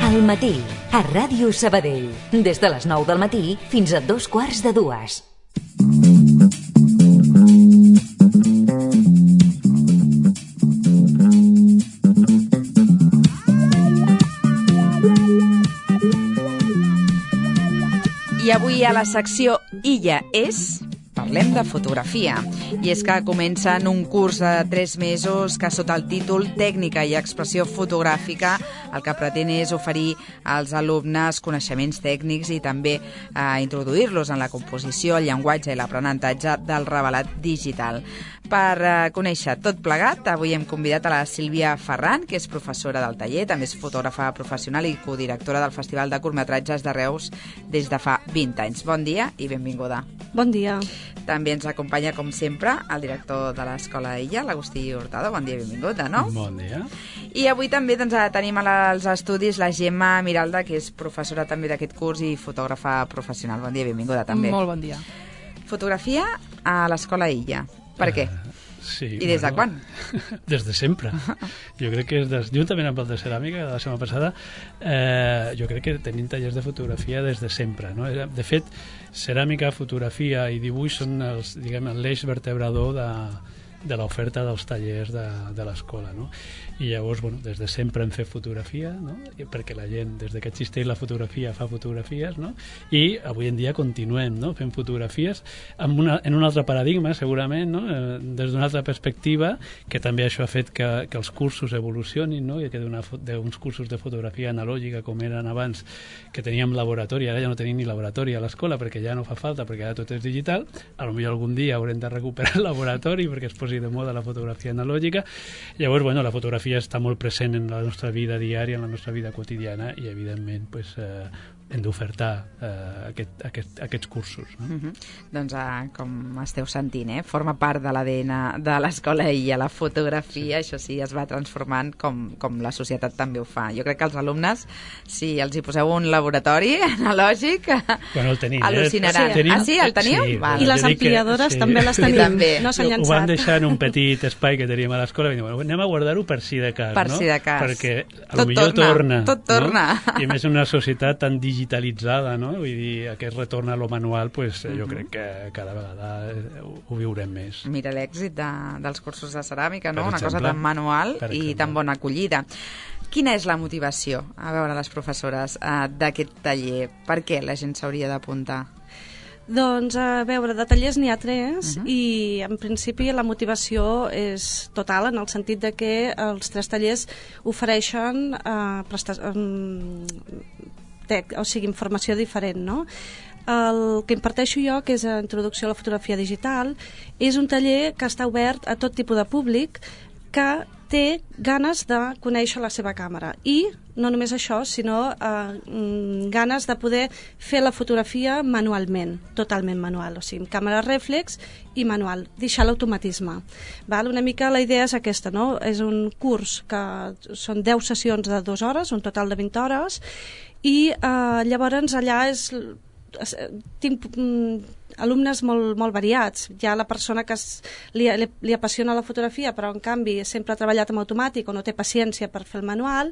Al matí, a Ràdio Sabadell. Des de les 9 del matí fins a 2:15. I avui a la secció Illa és... parlem de fotografia. I és que comencen un curs de 3 mesos que sota el títol Tècnica i Expressió Fotogràfica el que pretén és oferir als alumnes coneixements tècnics i també introduir-los en la composició, el llenguatge i l'aprenentatge del revelat digital. Per conèixer tot plegat, avui hem convidat a la Sílvia Ferran, que és professora del taller, també és fotògrafa professional i codirectora del Festival de Curtmetratges de Reus des de fa 20 anys. Bon dia i benvinguda. Bon dia. També ens acompanya, com sempre, el director de l'Escola Illa, l'Agustí Hurtado. Bon dia i benvingut, de nou. Bon dia. I avui també tenim als estudis la Gemma Miralda, que és professora també d'aquest curs i fotògrafa professional. Bon dia i benvinguda, també. Molt bon dia. Fotografia a l'Escola Illa. Per què? Sí, I des de quan? Des de sempre. Jo crec que juntament amb el de ceràmica de la setmana passada, jo crec que tenim tallers de fotografia des de sempre, no? De fet, ceràmica, fotografia i dibuix són l'eix vertebrador de l'oferta dels tallers de l'escola, no? I llavors, des de sempre hem fet fotografia, no? Perquè la gent, des que existeix la fotografia, fa fotografies, no? I avui en dia continuem, no? Fent fotografies en un altre paradigma, segurament, no? Des d'una altra perspectiva, que també això ha fet que els cursos evolucionin, no? I que d'uns cursos de fotografia analògica, com eren abans, que teníem laboratori, ara ja no tenim ni laboratori a l'escola, perquè ja no fa falta, perquè ara tot és digital, potser algun dia haurem de recuperar el laboratori perquè es posi de moda la fotografia analògica. Llavors, la fotografia està molt present en la nostra vida diària, en la nostra vida quotidiana, i evidentment hem d'ofertar aquests cursos, no? Doncs com esteu sentint, forma part de l'ADN de l'Escola Illa, la fotografia, això sí, es va transformant com la societat també ho fa. Jo crec que els alumnes, si els hi poseu un laboratori analògic, el tenim, al·lucinaran. Sí, el teniu? Sí, I les ampliadores també les tenim, també. No s'han llançat. Ho vam deixar en un petit espai que teníem a l'escola i anem a guardar-ho per si de cas, per si de cas. Perquè potser torna. Tot torna. No? I a més una societat tan digitalitzada, no? Vull dir, aquest retorn a lo manual, jo crec que cada vegada ho viurem més. Mira l'èxit dels cursos de ceràmica, no? Per Una exemple, cosa tan manual i tan bona acollida. Quina és la motivació, a veure, les professores, d'aquest taller? Per què la gent s'hauria d'apuntar? Doncs, a veure, de tallers n'hi ha 3 i en principi la motivació és total, en el sentit de que els 3 tallers ofereixen informació diferent, no? El que imparteixo jo, que és Introducció a la fotografia digital, és un taller que està obert a tot tipus de públic que té ganes de conèixer la seva càmera i no només això, sinó ganes de poder fer la fotografia manualment, totalment manual, o sigui, amb càmera rèflex i manual, deixar l'automatisme. Una mica la idea és aquesta, no? És un curs que són 10 sessions de 2 hores, un total de 20 hores, i llavors allà tinc alumnes molt variats. Hi ha la persona que li apassiona la fotografia però en canvi sempre ha treballat amb automàtic o no té paciència per fer el manual.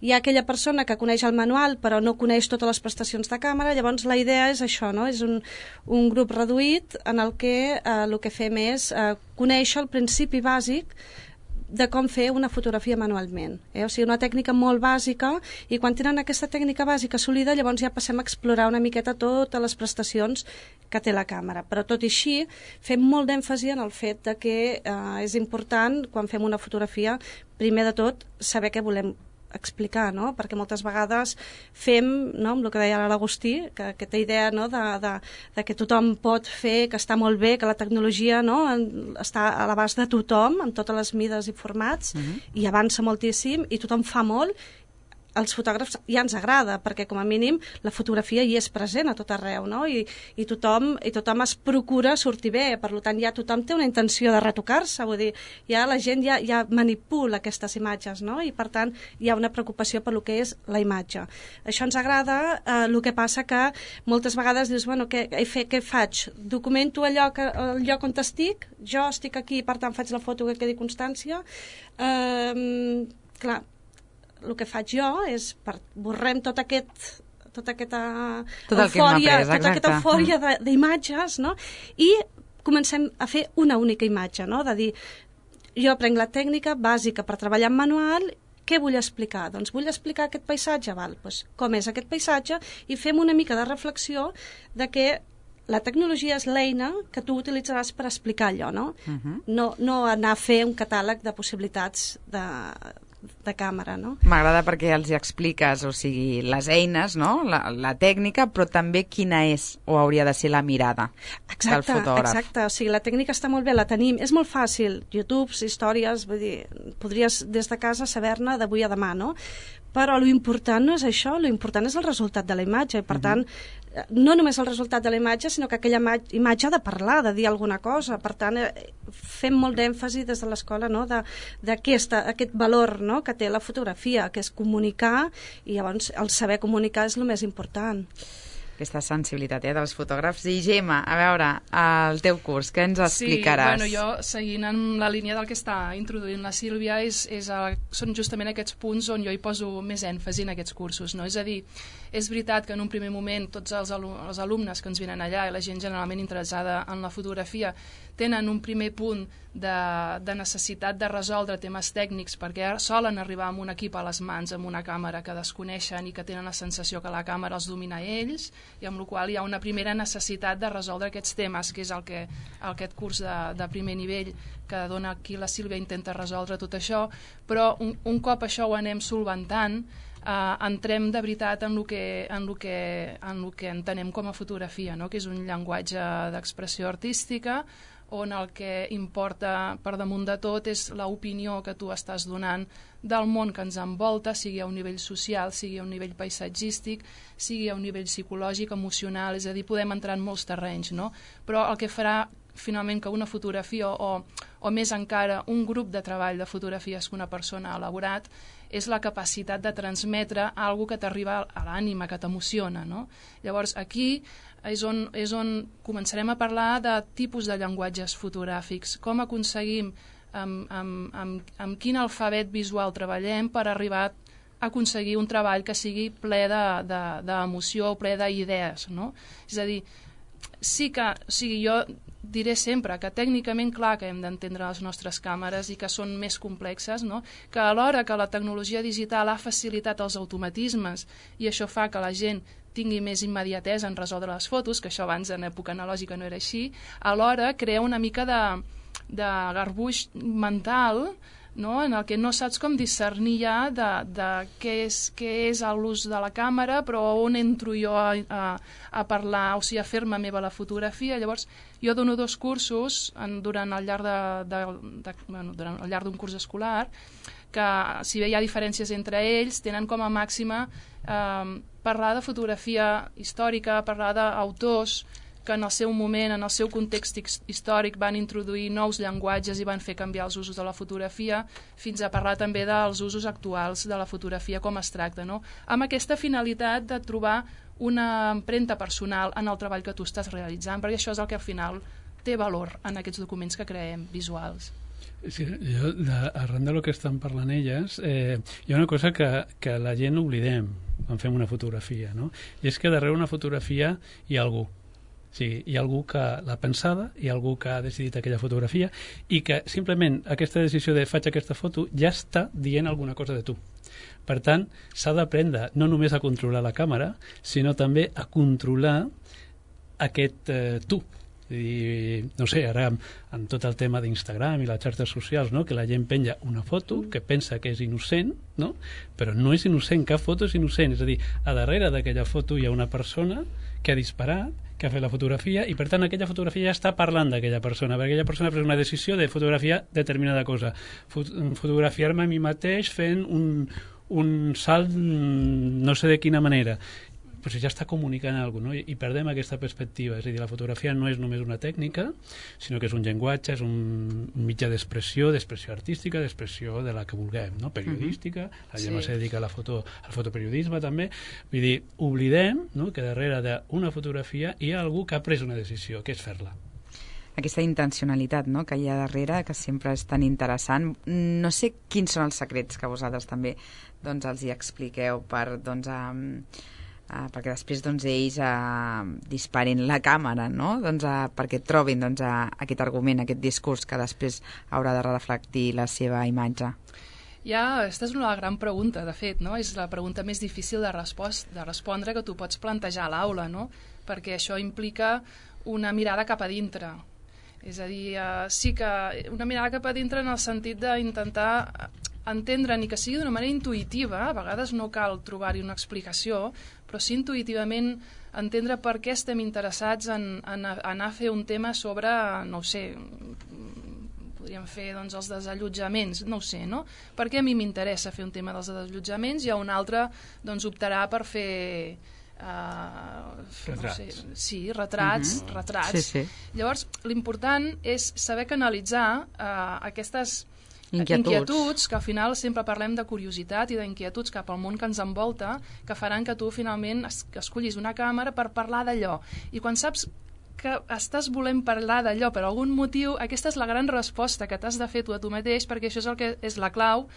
Hi ha aquella persona que coneix el manual però no coneix totes les prestacions de càmera. Llavors la idea és això, no? És un grup reduït en el que el que fem és conèixer el principi bàsic de com fer una fotografia manualment. O sigui, una tècnica molt bàsica, i quan tenen aquesta tècnica bàsica assolida, llavors ja passem a explorar una miqueta totes les prestacions que té la càmera. Però tot i així, fem molt d'èmfasi en el fet de que és important, quan fem una fotografia, primer de tot, saber què volem explicar, no? Perquè moltes vegades fem, no, amb el que deia l'Agustí, que aquesta idea, no, de que tothom pot fer, que està molt bé, que la tecnologia, no, està a l'abast de tothom, amb totes les mides i formats, i avança moltíssim, i tothom fa molt, als fotògrafs ja ens agrada, perquè com a mínim la fotografia hi és present a tot arreu, no? I tothom es procura sortir bé, per tant ja tothom té una intenció de retocar-se, vull dir, ja la gent ja manipula aquestes imatges, no? I per tant hi ha una preocupació per lo que és la imatge. Això ens agrada, el que passa que moltes vegades dius, bueno, què faig? Documento el lloc on estic, jo estic aquí, per tant faig la foto que quedi constància. Clar, el que faig jo és borrem tota aquesta eufòria d'imatges, no? I comencem a fer una única imatge, no? De dir, jo prenc la tècnica bàsica per treballar en manual. Què vull explicar? Doncs vull explicar aquest paisatge, doncs com és aquest paisatge, i fem una mica de reflexió de que la tecnologia és l'eina que tu utilitzaràs per explicar allò, no? No anar a fer un catàleg de possibilitats de càmera, no? M'agrada perquè els hi expliques, o sigui, les eines, no? La tècnica, però també quina és o hauria de ser la mirada del fotògraf. Exacte, o sigui, la tècnica està molt bé, la tenim, és molt fàcil, YouTube, històries, vull dir, podries des de casa saber-ne d'avui a demà, no? Però l'important no és això, l'important és el resultat de la imatge, i per tant, no només el resultat de la imatge, sinó que aquella imatge ha de parlar, de dir alguna cosa. Per tant, fem molt d'èmfasi des de l'escola, no? d'aquest valor, no? Que té la fotografia, que és comunicar, i llavors el saber comunicar és el més important. Aquesta sensibilitat dels fotògrafs. I Gemma, a veure, el teu curs, què ens explicaràs? Sí, bueno, jo, seguint en la línia del que està introduint la Sílvia, són justament aquests punts on jo hi poso més èmfasi en aquests cursos, no? És a dir, és veritat que en un primer moment tots els alumnes que ens venen allà i la gent generalment interessada en la fotografia tenen un primer punt de necessitat de resoldre temes tècnics, perquè solen arribar amb un equip a les mans, amb una càmera que desconeixen i que tenen la sensació que la càmera els domina a ells, i amb la qual hi ha una primera necessitat de resoldre aquests temes, que és aquest curs de primer nivell que dona aquí la Sílvia, intenta resoldre tot això, però un cop això ho anem solventant, entrem de veritat en el que entenem com a fotografia, no? Que és un llenguatge d'expressió artística on el que importa per damunt de tot és l'opinió que tu estàs donant del món que ens envolta, sigui a un nivell social, sigui a un nivell paisatgístic, sigui a un nivell psicològic, emocional, és a dir, podem entrar en molts terrenys, no? Però el que farà finalment que una fotografia o més encara un grup de treball de fotografies que una persona ha elaborat és la capacitat de transmetre alguna que t'arriba a l'ànima, que t'emociona, no? Llavors aquí és on començarem a parlar de tipus de llenguatges fotogràfics, com aconseguim, amb quin alfabet visual treballem per arribar a aconseguir un treball que sigui ple d'emoció, ple d'idees, no? És a dir, jo diré sempre que tècnicament clar que hem d'entendre les nostres càmeres i que són més complexes, no? Que alhora que la tecnologia digital ha facilitat els automatismes i això fa que la gent tingui més immediatesa en resoldre les fotos, que això abans en època analògica no era així, alhora crea una mica de garbuix mental, no? En el que no saps com discernir ja de què és l'ús de la càmera, però on entro jo a parlar, o sigui, a fer-me meva la fotografia. Llavors, jo dono 2 cursos durant el llarg d'un curs escolar, que si bé hi ha diferències entre ells, tenen com a màxima parlar de fotografia històrica, parlar d'autors que en el seu moment, en el seu context històric van introduir nous llenguatges i van fer canviar els usos de la fotografia, fins a parlar també dels usos actuals de la fotografia com es tracta, no? Amb aquesta finalitat de trobar una empremta personal en el treball que tu estàs realitzant, perquè això és el que al final té valor en aquests documents que creem visuals. Sí, arran del que estan parlant elles, hi ha una cosa que la gent oblidem quan fem una fotografia, no? I és que darrere una fotografia hi ha algú. Sí, hi ha algú que l'ha pensada, hi ha algú que ha decidit aquella fotografia i que simplement aquesta decisió de faig aquesta foto ja està dient alguna cosa de tu. Per tant, s'ha d'aprendre no només a controlar la càmera, sinó també a controlar aquest tu. I, no sé, ara amb tot el tema d'Instagram i les xarxes socials, no? Que la gent penja una foto que pensa que és innocent, no? Però no és innocent, cap foto és innocent, és a dir, a darrere d'aquella foto hi ha una persona que ha disparat, que ha fet la fotografia, i per tant aquella fotografia ja està parlant d'aquella persona, perquè aquella persona ha pres una decisió de fotografiar determinada cosa, fotografiar-me a mi mateix fent un salt no sé de quina manera, però ja està comunicant alguna cosa, no? I perdem aquesta perspectiva, és a dir, la fotografia no és només una tècnica, sinó que és un llenguatge, és un mitjà d'expressió artística, d'expressió de la que vulguem, no? Periodística, la gent se dedica al fotoperiodisme també, vull dir, oblidem, no? Que darrere d'una fotografia hi ha algú que ha pres una decisió, que és fer-la. aquesta intencionalitat, no?, que hi ha darrere, que sempre és tan interessant. No sé quins són els secrets que vosaltres també doncs, els hi expliqueu per, doncs, perquè després doncs, ells disparin la càmera, no?, doncs, perquè trobin doncs, aquest argument, aquest discurs que després haurà de reflectir la seva imatge. Aquesta és una gran pregunta, de fet, no? És la pregunta més difícil de respondre que tu pots plantejar a l'aula, no? Perquè això implica una mirada cap a dintre. És a dir, sí que una mirada cap a dintre en el sentit d'intentar entendre, ni que sigui d'una manera intuïtiva, a vegades no cal trobar-hi una explicació, però sí intuïtivament entendre per què estem interessats en anar a fer un tema sobre, no ho sé, podríem fer doncs, els desallotjaments, no ho sé, no? Per què a mi m'interessa fer un tema dels desallotjaments i a un altre doncs, optarà per fer retrats. No sé, sí, retrats. Sí, sí. Llavors, l'important és saber canalitzar aquestes inquietuds, que al final sempre parlem de curiositat i d'inquietuds cap al món que ens envolta, que faran que tu finalment escollis una càmera per parlar d'allò. I quan saps que estàs volent parlar d'allò per algun motiu, aquesta és la gran resposta que t'has de fer tu a tu mateix, perquè això és el que és la clau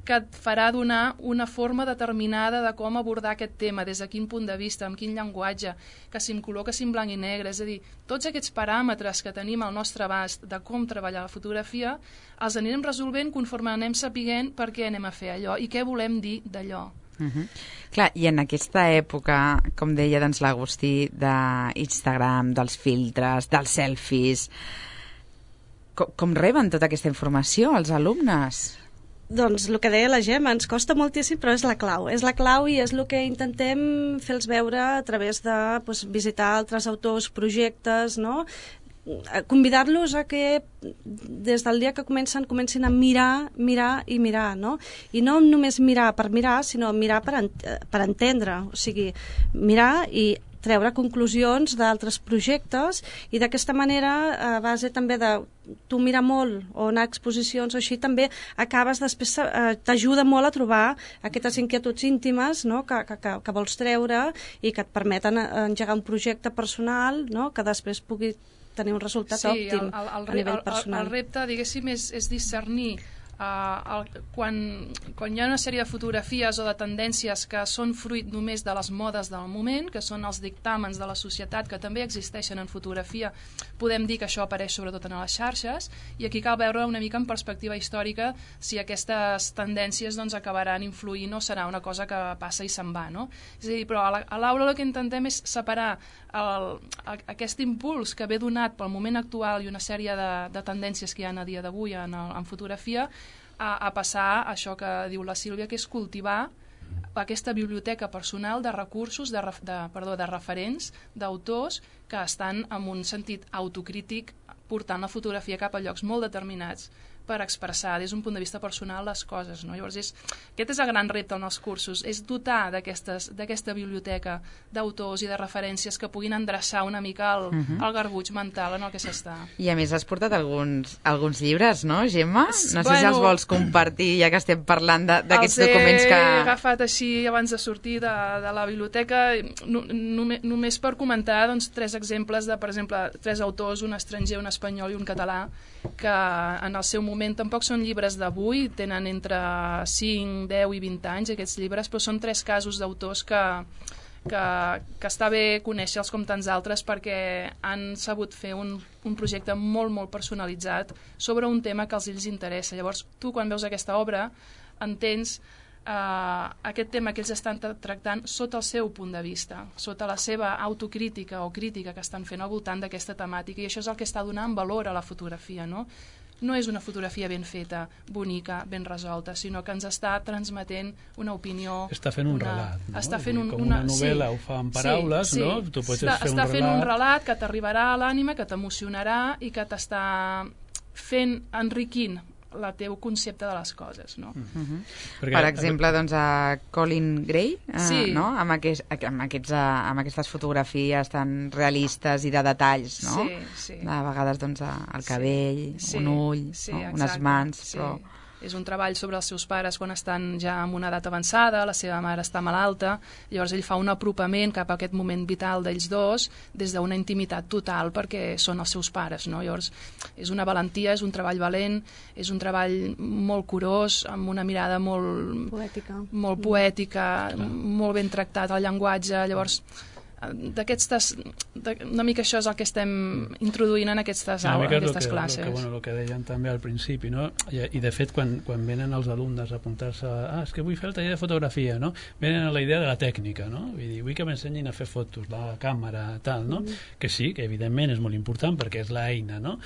que et farà donar una forma determinada de com abordar aquest tema, des de quin punt de vista, amb quin llenguatge, que si en color, que si en blanc i negre, és a dir, tots aquests paràmetres que tenim al nostre abast de com treballar la fotografia, els anirem resolvent conforme anem sapiguent per què anem a fer allò i què volem dir d'allò. Clar, i en aquesta època, com deia doncs, l'Agustí, d'Instagram, dels filtres, dels selfies, com reben tota aquesta informació els alumnes? Doncs el que deia la Gemma, ens costa moltíssim, però és la clau i és el que intentem fer-los veure a través de visitar altres autors, projectes, no?, convidar-los a que des del dia que comencin a mirar, no? I no només mirar per mirar, sinó mirar per entendre, o sigui, mirar i treure conclusions d'altres projectes i d'aquesta manera, a base també de tu mirar molt o anar a exposicions o així, també acabes després, t'ajuda molt a trobar aquestes inquietuds íntimes, no?, que vols treure i que et permeten engegar un projecte personal, no?, que després pugui tenir un resultat òptim a nivell personal. El repte, diguéssim, és discernir quan hi ha una sèrie de fotografies o de tendències que són fruit només de les modes del moment, que són els dictàmens de la societat que també existeixen en fotografia, podem dir que això apareix sobretot en les xarxes, i aquí cal veure una mica en perspectiva històrica si aquestes tendències doncs, acabaran influint o serà una cosa que passa i se'n va, no? És a dir, però a l'aula el que intentem és separar aquest impuls que ve donat pel moment actual i una sèrie de tendències que hi ha a dia d'avui en fotografia a passar a això que diu la Sílvia, que és cultivar aquesta biblioteca personal de recursos, de referents, d'autors que estan en un sentit autocrític portant la fotografia cap a llocs molt determinats per expressar des d'un punt de vista personal les coses, no? Llavors aquest és el gran repte en els cursos, és dotar d'aquesta biblioteca d'autors i de referències que puguin endreçar una mica el garbuix mental en el que s'està. I a més has portat alguns llibres, no, Gemma? No sé si els vols compartir, ja que estem parlant d'aquests documents que... Els he agafat així abans de sortir de la biblioteca, només per comentar doncs, 3 exemples de, per exemple, 3 autors, un estranger, un espanyol i un català, que en el seu moment tampoc són llibres d'avui, tenen entre 5, 10 i 20 anys aquests llibres, però són 3 casos d'autors que està bé conèixer-los com tants altres perquè han sabut fer un projecte molt, molt personalitzat sobre un tema que els interessa. Llavors, tu quan veus aquesta obra entens aquest tema que ells estan tractant sota el seu punt de vista, sota la seva autocrítica o crítica que estan fent al voltant d'aquesta temàtica, i això és el que està donant valor a la fotografia, no? No és una fotografia ben feta, bonica, ben resolta, sinó que ens està transmetent una opinió... Està fent un relat, no? Està fent com una novel·la ho fa en paraules, no? Tu pots fer un relat... Està fent un relat que t'arribarà a l'ànima, que t'emocionarà i que t'està enriquint el teu concepte de les coses, no? Per exemple, doncs, a Colin Gray, no? amb aquestes fotografies tan realistes i de detalls, no? Sí. A vegades, doncs, el cabell, un ull, unes mans, però... És un treball sobre els seus pares quan estan ja en una edat avançada, la seva mare està malalta, llavors ell fa un apropament cap a aquest moment vital d'ells dos des d'una intimitat total perquè són els seus pares, no? Llavors és una valentia, és un treball valent, és un treball molt curós, amb una mirada molt poètica, molt ben tractat el llenguatge, llavors una mica això és el que estem introduint en aquestes aules, en aquestes classes. El que deien també al principi, no? I de fet quan venen els alumnes a apuntar-se és que vull fer el taller de fotografia, no? Venen a la idea de la tècnica, no? Vull que m'ensenyin a fer fotos, la càmera, tal, no? Que sí, que evidentment és molt important perquè és l'eina, no?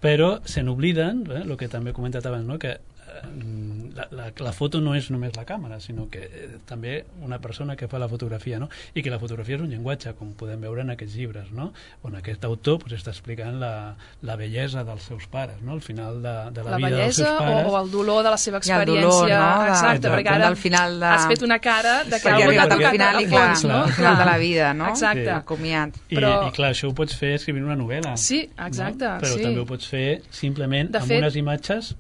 Però se n'obliden, el que també he comentat abans, no? Que la foto no és només la càmera, sinó que també una persona que fa la fotografia, no? I que la fotografia és un llenguatge, com podem veure en aquests llibres, no? On aquest autor està explicant la bellesa dels seus pares, no? Al final de la vida dels seus pares. La bellesa o el dolor de la seva experiència. I el dolor, no? Exacte, perquè ara al final has fet una cara de que algú t'ha tocat al fons, no? Al final de la vida, no? Exacte. El comiat. I clar, això ho pots fer escrivint una novel·la. Sí, exacte. Però també ho pots fer simplement amb unes imatges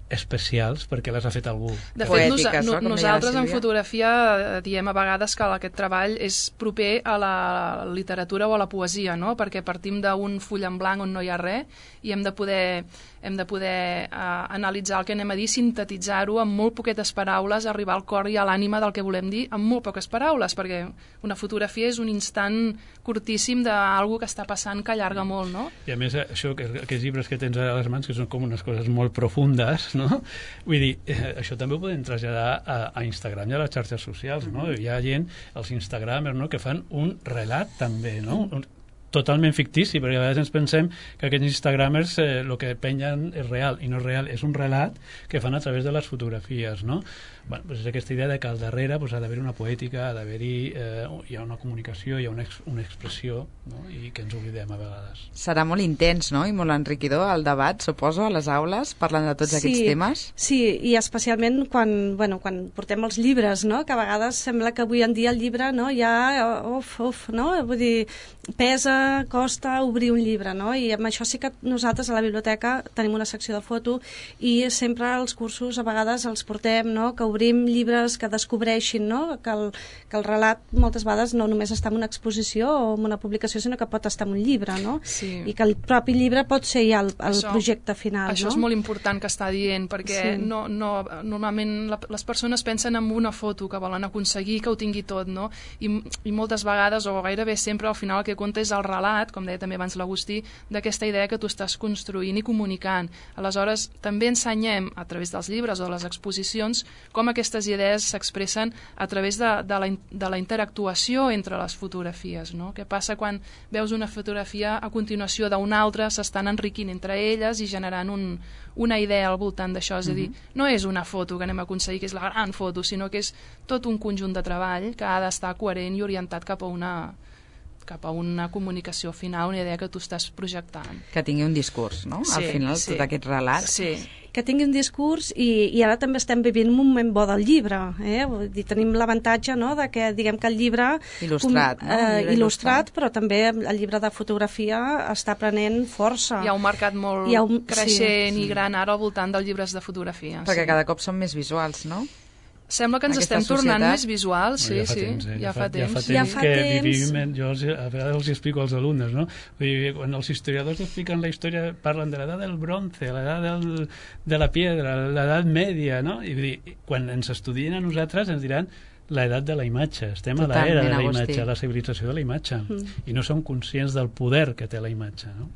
especials perquè les ha fet algú. De fet, nosaltres en fotografia diem a vegades que aquest treball és proper a la literatura o a la poesia, no? Perquè partim d'un full en blanc on no hi ha res i hem de poder analitzar el que anem a dir, sintetitzar-ho amb molt poquetes paraules, arribar al cor i a l'ànima del que volem dir amb molt poques paraules, perquè una fotografia és un instant curtíssim d'algú que està passant que allarga molt, no? I a més, aquests llibres que tens a les mans, que són com unes coses molt profundes, no? Vull dir, això també ho podem traslladar a Instagram i a les xarxes socials, no? Hi ha gent, els instagramers, no?, que fan un relat també, no? Totalment fictici, perquè a vegades ens pensem que aquests instagramers el que pengen és real, i no és real, és un relat que fan a través de les fotografies, no? Bueno, pues és aquesta idea de que al darrere ha d'haver una poètica, ha d'haver-hi hi ha una comunicació, hi ha una expressió, no? I que ens oblidem a vegades. Serà molt intens, no?, i molt enriquidor el debat, suposo, a les aules, parlant de tots aquests temes. Sí, i especialment quan portem els llibres, no?, que a vegades sembla que avui en dia el llibre, no?, ja, no?, vull dir, pesa, costa obrir un llibre, no?, i amb això sí que nosaltres a la biblioteca tenim una secció de foto i sempre els cursos a vegades els portem, no?, que obrim llibres que descobreixin, no?, que el relat moltes vegades no només està en una exposició o en una publicació, sinó que pot estar en un llibre, no? Sí. I que el propi llibre pot ser ja el projecte final, això, no? Això és molt important que està dient, perquè normalment les persones pensen en una foto que volen aconseguir, que ho tingui tot, no? I moltes vegades, o gairebé sempre, al final el que compta és el relat, com deia també abans l'Agustí, d'aquesta idea que tu estàs construint i comunicant. Aleshores, també ensenyem, a través dels llibres o de les exposicions, com aquestes idees s'expressen a través de la interactuació entre les fotografies, no? Què passa quan veus una fotografia a continuació d'una altra, s'estan enriquint entre elles i generant una idea al voltant d'això, és a dir, no és una foto que anem a aconseguir que és la gran foto, sinó que és tot un conjunt de treball que ha d'estar coherent i orientat cap a una comunicació final, una idea que tu estàs projectant. Que tingui un discurs, no? Al final, tot aquest relat. Sí, que tingui un discurs i ara també estem vivint un moment bo del llibre, Vull dir, tenim l'avantatge, no?, de que diguem que el llibre il·lustrat, però també el llibre de fotografia està prenent força. Hi ha un mercat molt creixent i gran ara al voltant dels llibres de fotografia. Perquè cada cop són més visuals, no? Sembla que ens estem tornant més visuals, ja fa temps que vivim, jo a vegades els explico als alumnes, no? Vull dir, quan els historiadors expliquen la història parlen de l'edat del bronze, l'edat de la piedra, l'edat mèdia, no? I vull dir, quan ens estudien a nosaltres ens diran l'edat de la imatge, estem a l'era de la imatge, a la civilització de la imatge, i no som conscients del poder que té la imatge, no?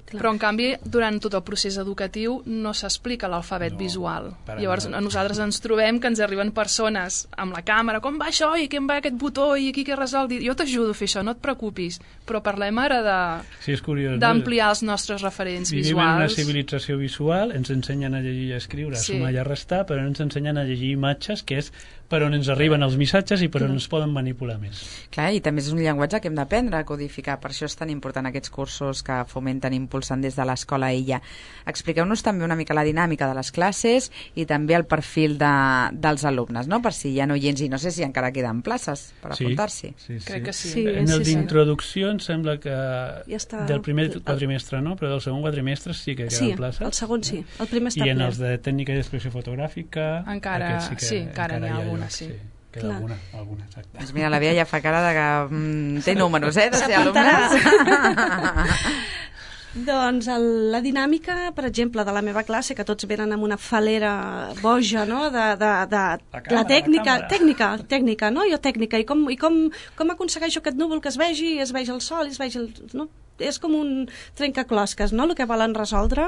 Però, en canvi, durant tot el procés educatiu no s'explica l'alfabet visual. Llavors, a nosaltres ens trobem que ens arriben persones amb la càmera, com va això, i com va aquest botó, i aquí què resol? Jo t'ajudo a fer això, no et preocupis. Però parlem ara d'ampliar els nostres referents visuals. Vivim en una civilització visual, ens ensenyen a llegir i a escriure, a sumar i a restar, però no ens ensenyen a llegir imatges, que és per on ens arriben els missatges i per on ens poden manipular més. Clar, i també és un llenguatge que hem d'aprendre a codificar, per això és tan important aquests cursos que fomenten i impulsen des de l'escola Illa. Expliqueu-nos també una mica la dinàmica de les classes i també el perfil dels alumnes, no? Per si hi ha oients, i no sé si encara queden places per apuntar-s'hi. Sí. Crec que sí. En el d'introducció em sembla que està... del primer quadrimestre no, però del segon quadrimestre sí que queden places. Sí, el segon sí, el primer està ple. I en els de tècnica i expressió fotogràfica encara n'hi ha alguna, sí. Queda alguna, exacte. Doncs mira, la Bea ja fa cara de que té números, de ser alumnes. Doncs la dinàmica, per exemple, de la meva classe, que tots venen amb una falera boja, no?, de la tècnica, no?, jo tècnica, i com aconsegueixo aquest núvol que es vegi el sol, es vegi el... No? És com un trencaclosques, no?, el que volen resoldre.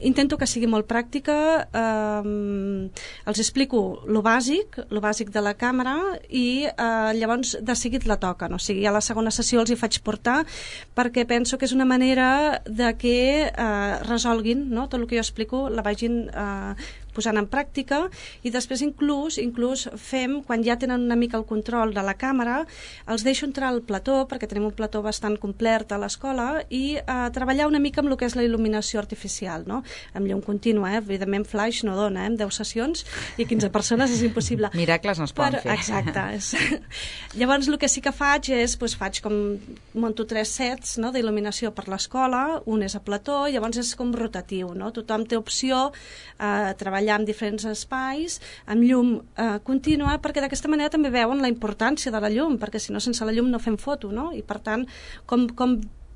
Intento que sigui molt pràctica, els explico lo bàsic de la càmera i llavors de seguit la toquen, o sigui, a la segona sessió els hi faig portar perquè penso que és una manera de que resolguin, no?, tot el que jo explico la vagin posant en pràctica, i després inclús fem, quan ja tenen una mica el control de la càmera, els deixo entrar al plató, perquè tenim un plató bastant complet a l'escola, i treballar una mica amb el que és la il·luminació artificial, no? Amb llum contínua, evidentment flash no dona, amb 10 sessions i 15 persones és impossible. Miracles no es poden fer. Exacte. Llavors el que sí que faig és, faig com, monto 3 sets, no?, d'il·luminació per l'escola, un és a plató, llavors és com rotatiu, no? Tothom té opció a treballar en diferents espais, amb llum contínua, perquè d'aquesta manera també veuen la importància de la llum, perquè si no, sense la llum no fem foto, no? I per tant, com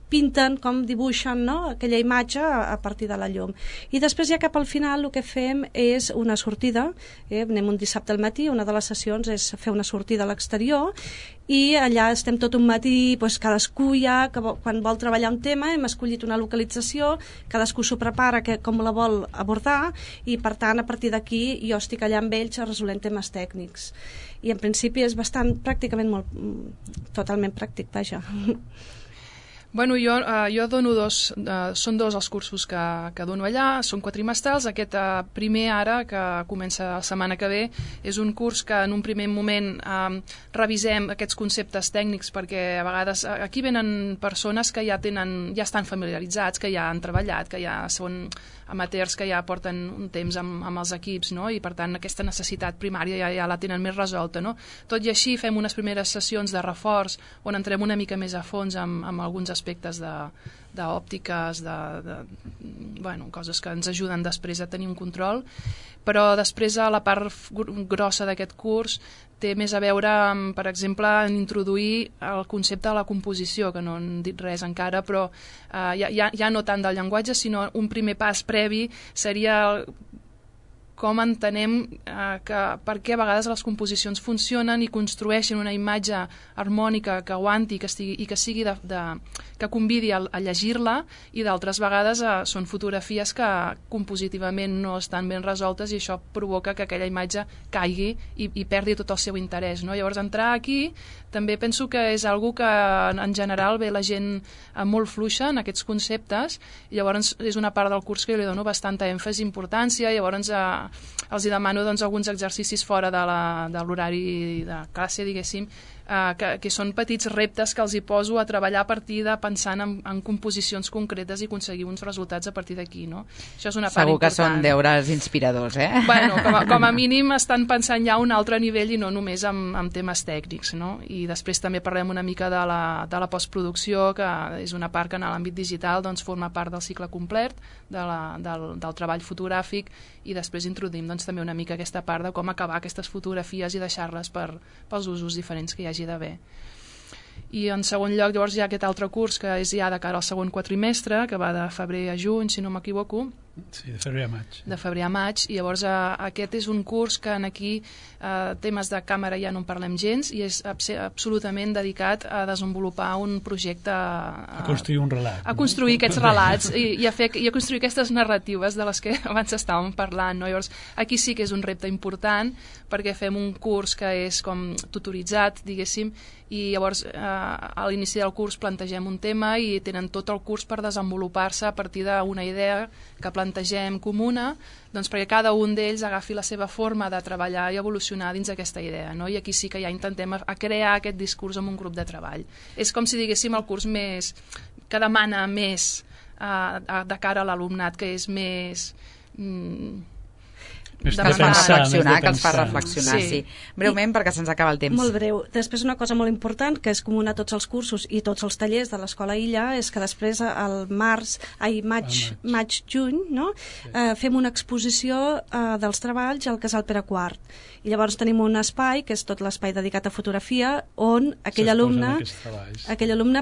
pinten, com dibuixen, no?, aquella imatge a partir de la llum. I després ja cap al final el que fem és una sortida, anem un dissabte al matí, una de les sessions és fer una sortida a l'exterior, i allà estem tot un matí, cadascú ja, quan vol treballar un tema, hem escollit una localització, cadascú s'ho prepara com la vol abordar, i per tant, a partir d'aquí, jo estic allà amb ells resolent temes tècnics. I en principi és pràcticament totalment pràctic, vaja. Bueno, jo dono són dos els cursos que dono allà, són quadrimestrals. Aquest primer ara, que comença la setmana que ve, és un curs que en un primer moment revisem aquests conceptes tècnics, perquè a vegades aquí venen persones que ja estan familiaritzats, que ja han treballat, que ja són amateurs, que ja porten un temps amb els equips, no? I per tant aquesta necessitat primària ja la tenen més resolta, no? Tot i així fem unes primeres sessions de reforç on entrem una mica més a fons amb alguns aspectes d'òptiques, coses que ens ajuden després a tenir un control, però després a la part grossa d'aquest curs té més a veure amb, per exemple, en introduir el concepte de la composició, que no han dit res encara, però ja no tant del llenguatge, sinó un primer pas previ seria com entenem per què a vegades les composicions funcionen i construeixen una imatge harmònica que aguanti i que sigui que convidi a llegir-la, i d'altres vegades són fotografies que compositivament no estan ben resoltes, i això provoca que aquella imatge caigui i perdi tot el seu interès, no? Llavors entrar aquí també penso que és algo que en general ve la gent molt fluixa en aquests conceptes, i llavors és una part del curs que jo li dono bastanta èmfasi i importància. Llavors els hi demano alguns exercicis fora de l'horari de classe, diguéssim, que són petits reptes que els hi poso a treballar a partir de pensant en composicions concretes i aconseguir uns resultats a partir d'aquí, no? Això és una part important. Segur que són deures inspiradors, Bueno, com a mínim estan pensant ja a un altre nivell i no només en temes tècnics, no? I després també parlem una mica de la postproducció, que és una part que en l'àmbit digital forma part del cicle complet del treball fotogràfic, i després introduïm també una mica aquesta part de com acabar aquestes fotografies i deixar-les pels usos diferents que hi hagi d'haver. I en segon lloc, llavors, hi ha aquest altre curs que és ja de cara al segon quadrimestre, que va de febrer a juny, si no m'equivoco. Sí, de febrer a maig. De febrer a maig, i llavors aquest és un curs que aquí temes de càmera ja no en parlem gens, i és absolutament dedicat a desenvolupar un projecte... A construir un relat. A construir aquests relats i a construir aquestes narratives de les que abans estàvem parlant, no? Llavors, aquí sí que és un repte important, perquè fem un curs que és com tutoritzat, diguéssim, i llavors a l'inici del curs plantegem un tema i tenen tot el curs per desenvolupar-se a partir d'una idea que plantegem plantegem comuna, doncs perquè cada un d'ells agafi la seva forma de treballar i evolucionar dins d'aquesta idea, no? I aquí sí que ja intentem a crear aquest discurs amb un grup de treball. És com si diguéssim el curs més que demana més de cara a l'alumnat, que és més... Més que de els fa pensar, reflexionar, més de que els fa pensar. reflexionar, sí. Breument, perquè se'ns acaba el temps. Molt breu. Després una cosa molt important, que és comuna a tots els cursos i tots els tallers de l'Escola Illa, és que després al maig-juny, no? Fem una exposició dels treballs al Casal Pere IV. I llavors tenim un espai, que és tot l'espai dedicat a fotografia, on aquell alumne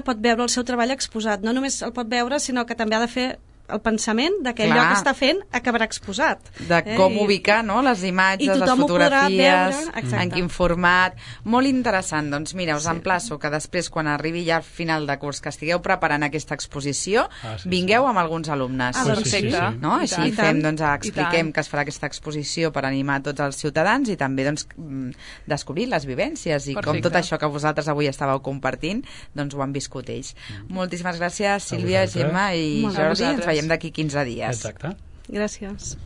pot veure el seu treball exposat. No només el pot veure, sinó que també ha de fer el pensament de que allò que està fent acabarà exposat. De com ubicar, no?, les imatges, les fotografies, en quin format. Molt interessant. Doncs mira, us emplaço que després, quan arribi ja al final de curs, que estigueu preparant aquesta exposició, vingueu amb alguns alumnes. Perfecte. No? Així fem, doncs, expliquem que es farà aquesta exposició per animar tots els ciutadans i també doncs, descobrir les vivències i com tot això que vosaltres avui estàveu compartint, doncs ho han viscut ells. Moltíssimes gràcies, Sílvia, Gemma i Jordi. Ens veiem d'aquí 15 dies. Exacte. Gràcies.